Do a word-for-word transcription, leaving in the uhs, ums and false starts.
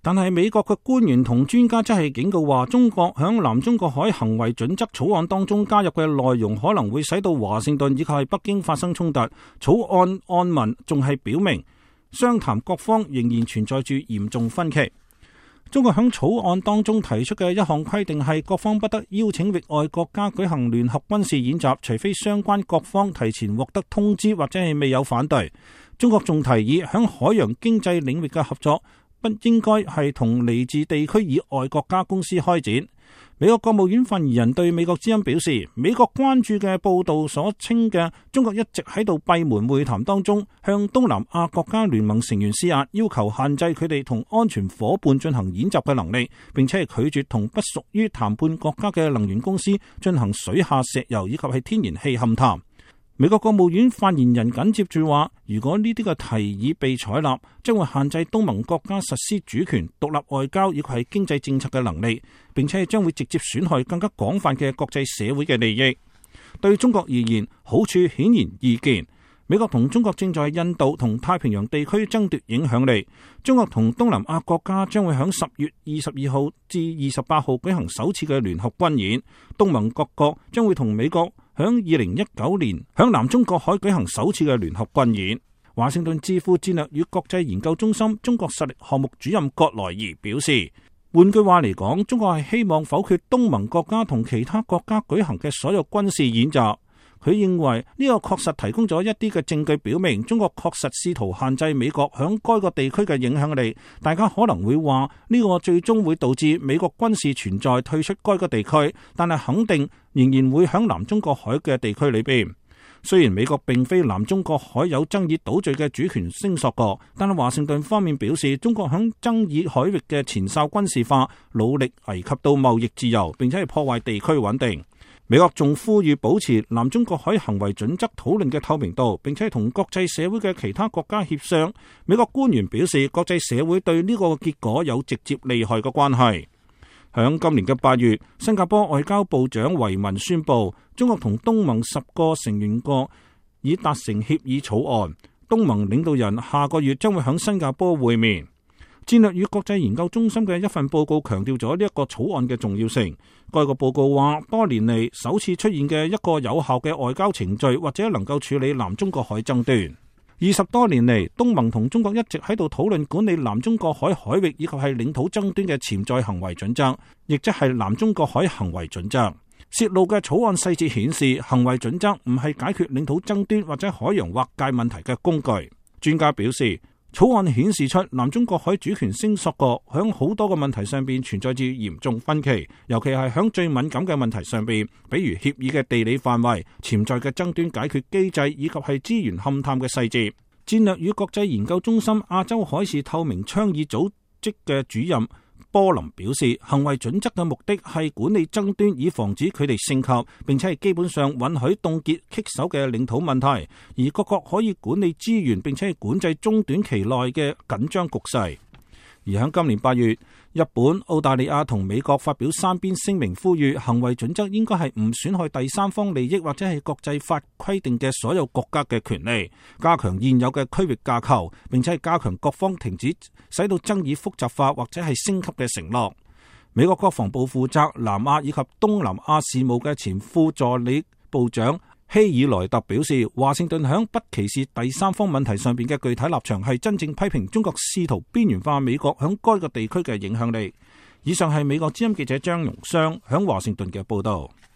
但係美國嘅官員同專家則係警告話，中國響南中國海行為準則草案當中加入嘅內容可能會使到華盛頓以及係北京發生衝突。草案案文仲係表明，商談各方仍然存在住嚴重分歧。中國響草案當中提出嘅一項規定係，各方不得邀請域外國家舉行聯合軍事演習，除非相關各方提前獲得通知或者係未有反對。中國仲提議響海洋經濟領域嘅合作不應該係同嚟自地區以外國家公司開展。美國國務院發言人對美國之音表示，美國關注嘅報道所稱嘅中國一直喺度閉門會談當中向東南亞國家聯盟成員施壓，要求限制佢哋同安全夥伴進行演習嘅能力，並且係拒絕同不屬於談判國家嘅能源公司進行水下石油以及係天然氣勘探。美國國務院發言人緊接住話，如果呢啲嘅提議被採納，將會限制東盟國家實施主權、獨立外交以及係經濟政策嘅能力，並且將會直接損害更加廣泛嘅國際社會嘅利益。對中國而言，好處顯然易見。美國同中國正在印度同太平洋地區爭奪影響力。中國同東南亞國家將會喺十月二十二號至二十八號舉行首次嘅聯合軍演。東盟各國將會同美國響二零一九年響南中國海舉行首次嘅聯合軍演。華盛頓智庫戰略與國際研究中心中國實力項目主任葛萊儀表示，換句話嚟講，中國係希望否決東盟國家同其他國家舉行嘅所有軍事演習。佢認為呢個確實提供咗一啲嘅證據，表明中國確實試圖限制美國響該個地區嘅影響力。大家可能會話呢個最終會導致美國軍事存在退出該個地區，但係肯定仍然會響南中國海嘅地區裏邊。雖然美國並非南中國海有爭議島嶼嘅主權聲索國，但係華盛頓方面表示，中國響爭議海域嘅前哨軍事化，努力危及到貿易自由，並且係破壞地區穩定。美國仲呼籲保持南中國海行為準則討論嘅透明度，並且同國際社會嘅其他國家協商。美國官員表示，國際社會對呢個結果有直接利害嘅關係。響今年嘅八月，新加坡外交部長維文宣布，中國同東盟十個成員國已達成協議草案，東盟領導人下個月將會響新加坡會面。戰略與國際研究中心嘅一份報告強調咗呢一個草案嘅重要性。該個報告話，多年嚟首次出現嘅一個有效嘅外交程序，或者能夠處理南中國海爭端。二十多年嚟，東盟同中國一直喺度討論管理南中國海海域以及係領土爭端嘅潛在行為準則，亦即係南中國海行為準則。泄露嘅草案細節顯示，行為準則唔係解決領土爭端或者海洋劃界問題嘅工具。專家表示，草案顯示出南中國海主權聲索國響好多個問題上邊存在住嚴重分歧，尤其係響最敏感嘅問題上邊，比如協議嘅地理範圍、潛在嘅爭端解決機制以及係資源勘探嘅細節。戰略與國際研究中心亞洲海事透明倡議組織嘅主任波林表示，行為準則嘅目的係管理爭端，以防止佢哋升級，並且係基本上允許凍結棘手嘅領土問題，而各國可以管理資源，並且係管制中短期內嘅緊張局勢。而喺今年八月，日本、澳大利亞同美國發表三邊聲明，呼籲行為準則應該係唔損害第三方利益或者係國際法規定嘅所有國家嘅權利，加強現有嘅區域架構，並且係加強各方停止使到爭議複雜化或者係升級嘅承諾。美國國防部負責南亞以及東南亞事務嘅前副助理部長希爾萊特表示，華盛頓響不歧視第三方問題上邊嘅具體立場係真正批評中國試圖邊緣化美國響該個地區嘅影響力。以上係美國之音記者張榮湘響華盛頓嘅報道。